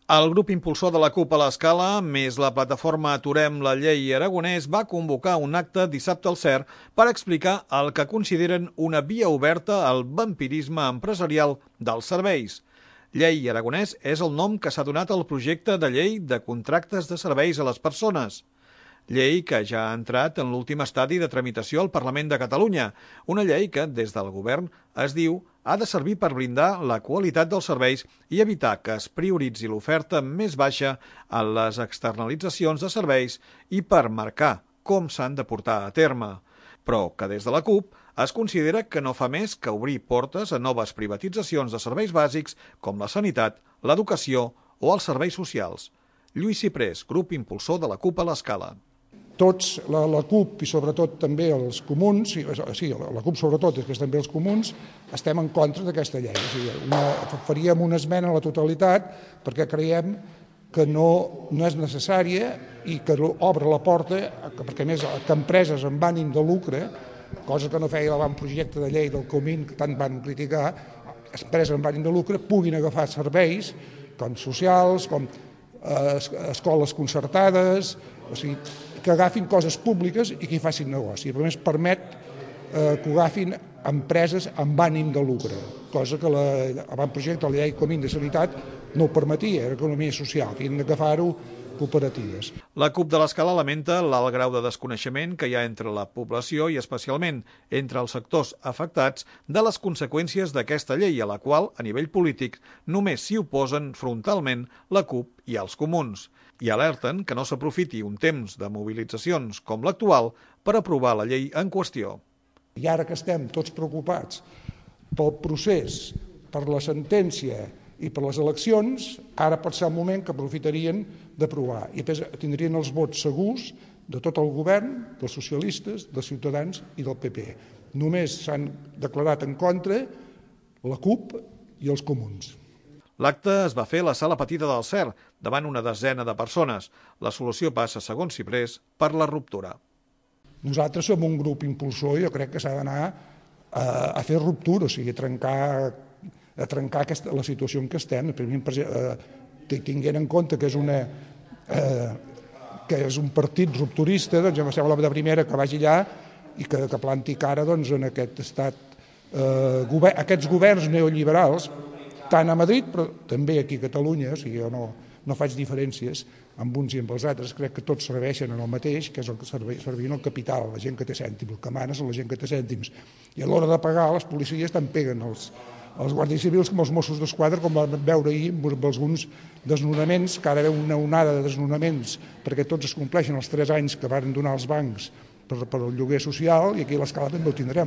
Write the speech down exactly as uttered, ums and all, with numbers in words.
El grup impulsor de la CUP a l'Escala, més la plataforma Aturem la Llei Aragonès, va convocar un acte dissabte al C E R per explicar el que consideren una via oberta al vampirisme empresarial dels serveis. Llei Aragonès és el nom que s'ha donat al projecte de llei de contractes de serveis a les persones. Llei que ja ha entrat en l'últim estadi de tramitació al Parlament de Catalunya, una llei que, des del govern, es diu ha de servir per blindar la qualitat dels serveis i evitar que es prioritzi l'oferta més baixa en les externalitzacions de serveis i per marcar com s'han de portar a terme, però que des de la CUP es considera que no fa més que obrir portes a noves privatitzacions de serveis bàsics com la sanitat, l'educació o els serveis socials. Lluís Ciprés, grup impulsor de la CUP a l'Escala. Tots, la, la CUP i sobretot també els comuns, sí, la CUP sobretot és que també els comuns, estem en contra d'aquesta llei. O sigui, una, faríem una esmena a la totalitat perquè creiem que no, no és necessària i que obre la porta, perquè a més que empreses amb ànim de lucre, cosa que no feia l'avantprojecte de llei del Comín, que tant van criticar, empreses amb ànim de lucre puguin agafar serveis com socials, com eh, escoles concertades, o sigui, que agafin coses públiques i que hi facin negoci. A més, permet eh, que ho agafin empreses amb ànim de lucre, cosa que l'avantprojecte de la llei Comín de Sanitat no ho permetia, era economia social, que havien d'agafar-ho cooperatives. La CUP de l'Escala lamenta l'alt grau de desconeixement que hi ha entre la població i especialment entre els sectors afectats de les conseqüències d'aquesta llei, a la qual, a nivell polític, només s'hi oposen frontalment la CUP i els comuns, i alerten que no s'aprofiti un temps de mobilitzacions com l'actual per aprovar la llei en qüestió. I ara que estem tots preocupats pel procés, per la sentència i per les eleccions, ara pot ser el moment que aprofitarien d'aprovar i tindrien els vots segurs de tot el govern, dels socialistes, dels ciutadans i del P P. Només s'han declarat en contra la CUP i els comuns. L'acte es va fer a la sala petita del C E R, davant una desena de persones. La solució passa, segons Ciprés, per la ruptura. Nosaltres som un grup impulsor i jo crec que s'ha d'anar a, a fer ruptura, o sigui, a trencar, a trencar aquesta, la situació en què estem, tinguent en compte que és, una, eh, que és un partit rupturista, doncs em sembla de primera que vagi allà i que, que planti cara doncs, en aquest estat, eh, govern, aquests governs neoliberals, tant a Madrid, però també aquí a Catalunya, o sigui, jo no, no faig diferències amb uns i amb els altres, crec que tots serveixen en el mateix, que és el que servien el capital, la gent que té cèntims, el que mana és la gent que té cèntims. I a l'hora de pagar, les policies tant peguen els, els guàrdies civils com els Mossos d'Esquadra, com vam veure ahir amb alguns desnonaments, que ara veu una onada de desnonaments, perquè tots es compleixen els tres anys que van donar els bancs per, per el lloguer social, i aquí a l'Escala també ho tindrem.